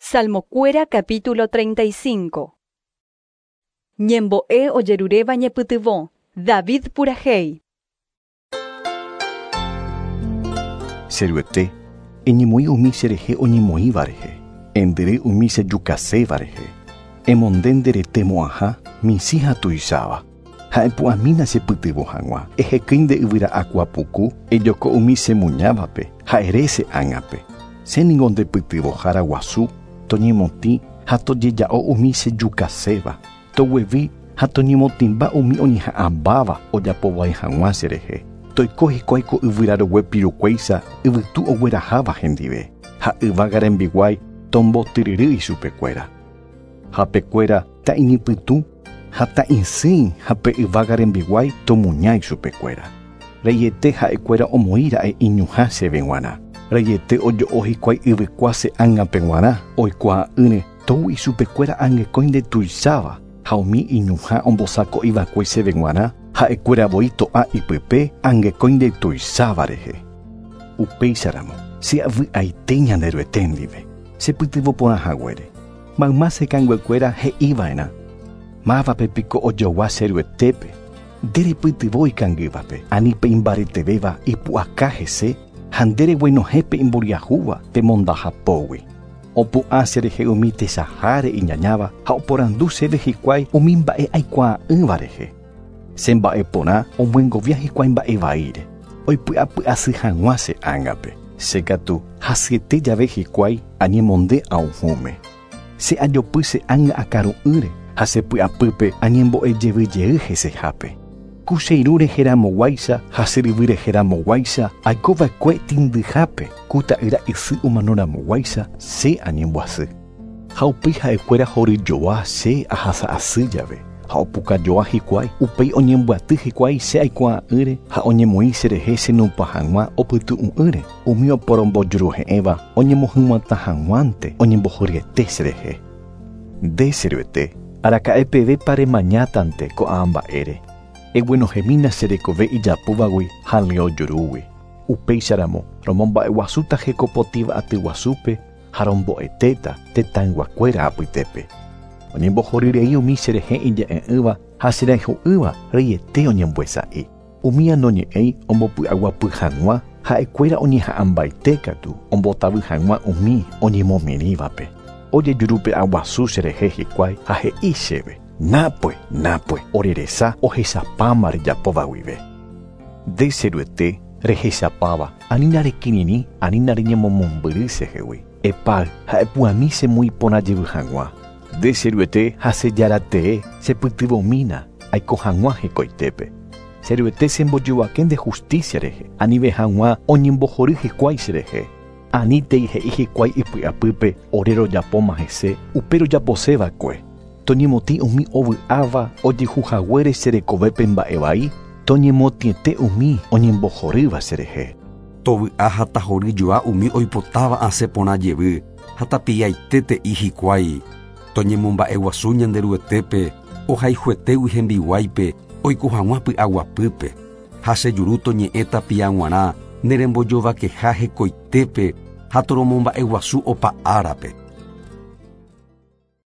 Salmokuéra capítulo 35. Ñembo'e ojeruréva ñepytyvõ. David purahéi. Che Ruete, eñemoĩ umi cherehe oñemoĩva rehe, endyry umi chejukaséva rehe. Emonde nde rete mo'ãha, michĩ ha tuicháva, ha epu'ãmína chepytyvõ hag̃ua. Ehekýi nde yvyra'akua puku, ejoko umi chemuñávape ha ere che ág̃ape. Che ningo nde pytyvõhára guasu, toñemotĩ ha tojeja'o umi chejukaséva, toguevi ha toñemotĩmba umi oñeha'ãmbáva ojapo vai hag̃ua cherehe. Toiko hikuái ko yvyra rogue pirukuéicha yvytu ogueraháva hendive, ha yvága rembiguái tombotyryry ichupekuéra. Hapekuéra ta'iñypytũ ha ta'isỹi ha pe yvága rembiguái tomuña ichupekuéra. Reiete ha'ekuéra omoĩ ra'e iñuhã chéve g̃uarã. Reiete ojo'o hikuái yvykua che ángape g̃uarã oikuaa'ỹre tou ichupekuéra angekõi ndetuicháva ha umi iñuhã ombosako'iva'ekue chéve g̃uarã ha'ekuéra voi to'a ipype angekõi ndetuicháva rehe. Upéicharamo che avy'aite Ñanderuete ndive chepytyvõ porã haguére. Mayma che kanguekuéra he'iva'erã. Mávape piko ojogua che Ruetépe. Nde repytyvõ ikangývape, ani pe imbaretevéva ipu'aka hese ha nde reguenohẽ pe imboriahúva pe mondahapógui. Opu'ã cherehe umi techaháre iñañáva ha oporandu chéve hikuái umi mba'e aikuaa'ỹva rehe. Che mba'eporã omyengovia hikuái mba'e vaíre, oipy'apy'asy hag̃ua che ángape. Che katu hasyete jave hikuái añemonde aohũme. Che ajopy che ánga akaru'ỹre ha che py'apýpe añembo'ejevyjey hesehápe. Ku che irũ reheramoguáicha ha che ryvy reheramoguáicha aikova'ekue tĩndyhápe ku ta'ýra isy omanoramoguáicha che añembyasy. Ha upéi ha'ekuéra horyjoa che ahasa'asy jave ha opukajoa hikuái, upéi oñembyaty hikuái che aikuaa'ỹre ha oñemoĩ cherehe chenupã hag̃ua opytu'u'ỹre umi oporombojuruhe'ẽva oñemohyg̃uatã hag̃uánte oñembohoryete cherehe. Nde che Ruete, araka'e pevépa remañátante ko'ã mba'ére. Eguenohẽmína che rekove ijapúvagui ha leõ jurúgui. Upéicharamo romomba'eguasúta hekopotĩva aty guasúpe ha rombo'etéta tetãyguakuéra apytépe. Oñembohoryrei umi cherehe ija'e'ỹva ha cherayhu'ỹva reiete oñemboesa'i. Umi anoñe'ẽi ombopy'aguapy hag̃ua ha'ekuéra oñeha'ãmbaite katu ombotavy hag̃ua umi oñemomirĩvape. Ojejurupe'aguasu cherehe hikuái ha he'i chéve. Nápue, nápue, oreresa ohechapáma rejapóva guive. Nde che Ruete rehechapáva, anína rekirirĩ, anína reñemomombyry chehegui. Epáy ha epu'ãmi chemoĩporã jevy hag̃ua. Nde che Ruete ha che Jára tee chepytyvõmína aiko hag̃ua hekoitépe. Che Ruete chembojovake nde justicia rehe, anive hag̃ua oñembohory hikuái cherehe. Anítei he'i hikuái ipy'apýpe ore rojapóma hese upe rojaposeva'ekue. Toñemotĩ umi ovy'áva ojehuhaguére che rekovépe mba'e vai, toñemotĩete umi oñembohorýva cherehe. Tovy'a ha tahoryjoa umi oipotáva asẽ porã jevy ha tapiaite te'i hikuái. Toñemomba'eguasu Ñanderuetépe ohayhuetégui hembiguáipe oiko hag̃ua py'aguapýpe. Ha che juru toñe'ẽ tapia g̃uarã nerembojovakeha hekoitépe ha toromomba'eguasu opa árape.